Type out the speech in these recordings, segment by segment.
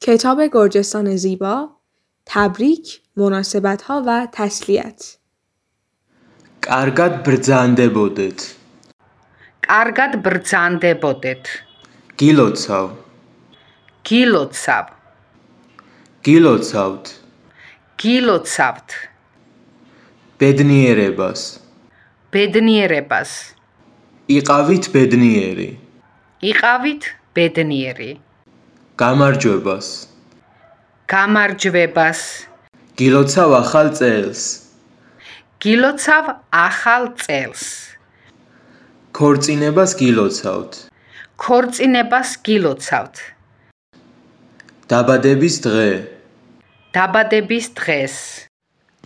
کتاب گرجستان زیبا، تبریک، مناسبت‌ها و تسلیت. კარგად ბრძანდებოდეთ. კარგად ბრძანდებოდეთ. გილოცავ. გილოცავ. გილოცავთ. გილოცავთ. ბედნიერებას. ბედნიერებას. იყავით ბედნიერი. იყავით ბედნიერი. გამარჯვებას. გამარჯვებას. გილოცავ ახალ წელს. გილოცავ ახალ წელს. ქორწინებას გილოცავთ. ქორწინებას გილოცავთ. დაბადების დღე. დაბადების დღეს.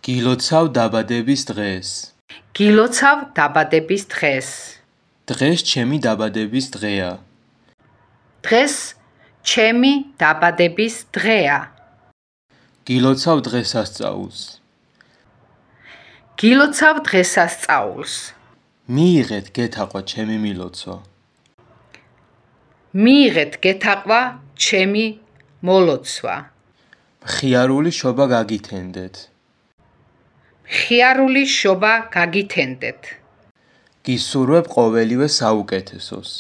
გილოცავ დაბადების დღეს. გილოცავ დაბადების დღეს. დღეს ჩემი დაბადების დღეა. დღეს ჩემი დაბადების დღეა. გილოცავ დღესასწაულს. გილოცავ დღესასწაულს. მიიღეთ გეთაყვა ჩემი მილოცვა. მიიღეთ გეთაყვა ჩემი მოლოცვა. მხიარული შობა გაგითენდეთ. მხიარული შობა გაგითენდეთ. გისურვებ ყოველივე საუკეთესოს.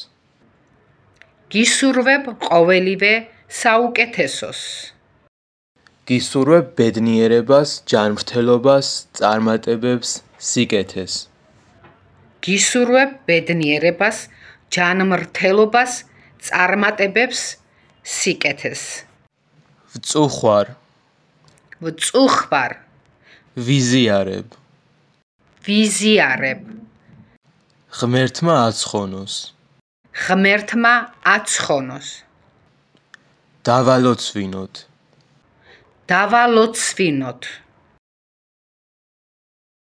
გისურვებ ყოველივე საუკეთესოს. გისურვებ ბედნიერებას, ჯანმრთელობას, წარმატებებს, სიკეთეს. გისურვებ ბედნიერებას, ჯანმრთელობას, წარმატებებს, სიკეთეს. ვწუხვარ. ვწუხვარ. ვიზიარებ. ვიზიარებ. ღმერთმა აცხონოს. ღმერთმა აცხონოს. დავალოცვინოთ. დავალოცვინოთ.